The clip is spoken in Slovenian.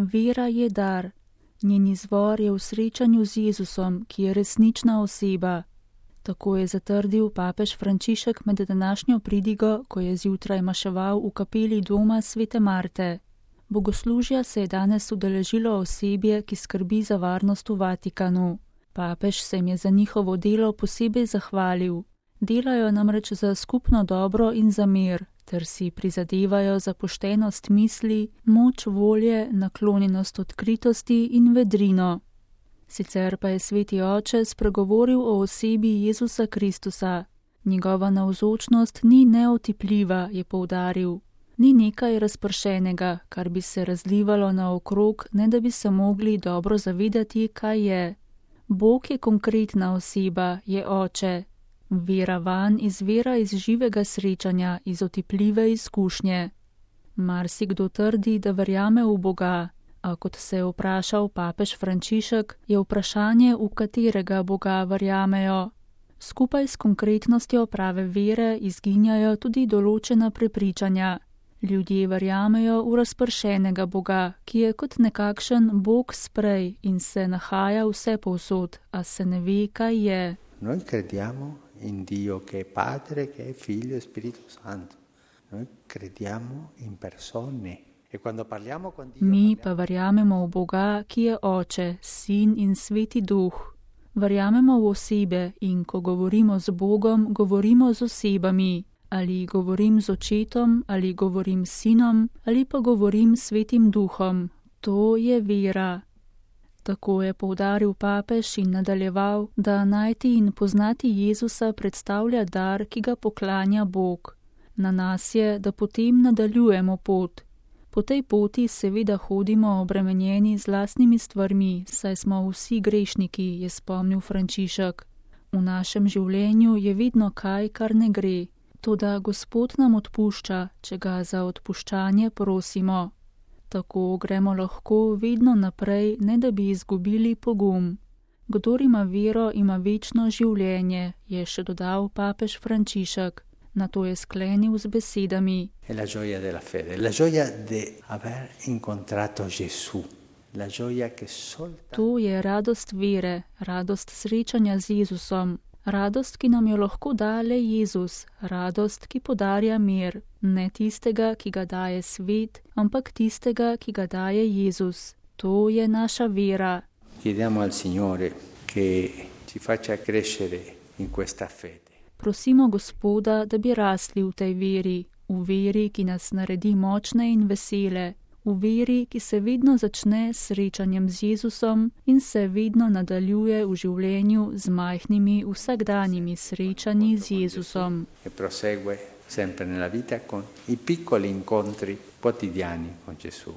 Vera je dar. Njen izvor je v srečanju z Jezusom, ki je resnična oseba. Tako je zatrdil papež Frančišek med današnjo pridigo, ko je zjutraj maševal v kapeli doma svete Marte. Bogoslužja se je danes udeležilo osebje, ki skrbi za varnost v Vatikanu. Papež se jim je za njihovo delo posebej zahvalil. Delajo namreč za skupno dobro in za mir, ter si prizadevajo za poštenost misli, moč volje, naklonjenost odkritosti in vedrino. Sicer pa je sveti oče spregovoril o osebi Jezusa Kristusa. Njegova navzočnost ni neotipljiva, je poudaril. Ni nekaj razpršenega, kar bi se razlivalo naokrog, ne da bi se mogli dobro zavedati, kaj je. Bog je konkretna oseba, je oče. Vera vanj izvira iz živega srečanja, iz otipljive izkušnje. Marsikdo trdi, da verjame v Boga, a kot se je vprašal papež Frančišek, je vprašanje, v katerega Boga verjamejo. Skupaj s konkretnostjo prave vere izginjajo tudi določena prepričanja. Ljudje verjamejo v razpršenega Boga, ki je kot nekakšen Bog sprej in se nahaja vsepovsod, a se ne ve, kaj je. Noi crediamo in Dio che è Padre, che è Figlio e Spirito Santo. Noi crediamo in persone. E quando parliamo con Dio, Mi pa verjamemo v Boga, ki je Oče, Sin in Sveti Duh. Verjamemo v osebe in ko govorimo z Bogom, govorimo z osebami. Ali govorim z Očetom, ali govorim s Sinom, ali pa govorim s Svetim Duhom. To je vera. Tako je poudaril papež in nadaljeval, da najti in poznati Jezusa predstavlja dar, ki ga poklanja Bog. Na nas je, da potem nadaljujemo pot. Po tej poti seveda hodimo obremenjeni z lastnimi stvarmi, saj smo vsi grešniki, je spomnil Frančišek. V našem življenju je vedno kaj, kar ne gre. Toda Gospod nam odpušča, če ga za odpuščanje prosimo. Tako gremo lahko vedno naprej, ne da bi izgubili pogum. Kdor ima vero, ima večno življenje, je še dodal papež Frančišek. Nato je sklenil z besedami. È la gioia della fede, la gioia di aver incontrato Gesù, la gioia che soltanto... To je radost vere, radost srečanja z Jezusom. Radost, ki nam jo lahko da le Jezus, radost, ki podarja mir, ne tistega, ki ga daje svet, ampak tistega, ki ga daje Jezus. To je naša vera. Chiediamo al Signore che ci faccia crescere in questa fede. Prosimo Gospoda, da bi rasli v tej veri, v veri, ki nas naredi močne in vesele, v veri, ki se vedno začne s srečanjem z Jezusom in se vedno nadaljuje v življenju z majhnimi vsakdanjimi srečanji z Jezusom. E prosegue sempre nella vita con i piccoli incontri quotidiani con Gesù.